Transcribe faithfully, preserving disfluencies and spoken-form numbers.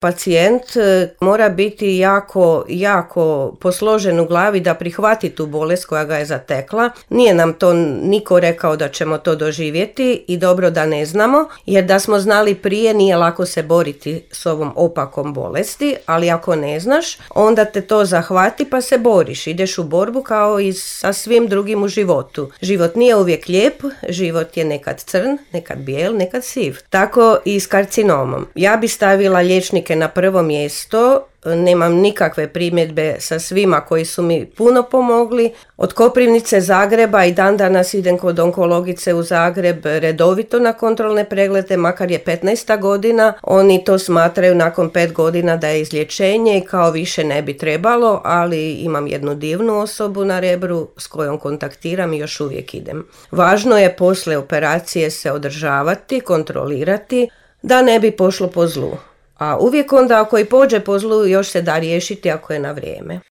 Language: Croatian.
Pacijent mora biti jako, jako posložen u glavi da prihvati tu bolest koja ga je zatekla. Nije nam to niko rekao da ćemo to doživjeti i dobro da ne znamo, jer da smo znali prije nije lako se boriti s ovom opakom bolesti, ali ako ne znaš, onda te to zahvati pa se boriš. Ideš u borbu kao i sa svim drugim u životu. Život nije uvijek lijep, život je nekad crn, nekad bijel, nekad siv. Tako i s karcinomom. Ja bi stavila liječnike na prvo mjesto, nemam nikakve primjedbe sa svima koji su mi puno pomogli. Od Koprivnice, Zagreba i dan danas idem kod onkologice u Zagreb redovito na kontrolne preglede, makar je petnaesta godina. Oni to smatraju nakon pet godina da je izlječenje i kao više ne bi trebalo, ali imam jednu divnu osobu na Rebru s kojom kontaktiram i još uvijek idem. Važno je poslije operacije se održavati, kontrolirati, da ne bi pošlo po zlu. A uvijek onda ako i pođe po zlu još se da riješiti ako je na vrijeme.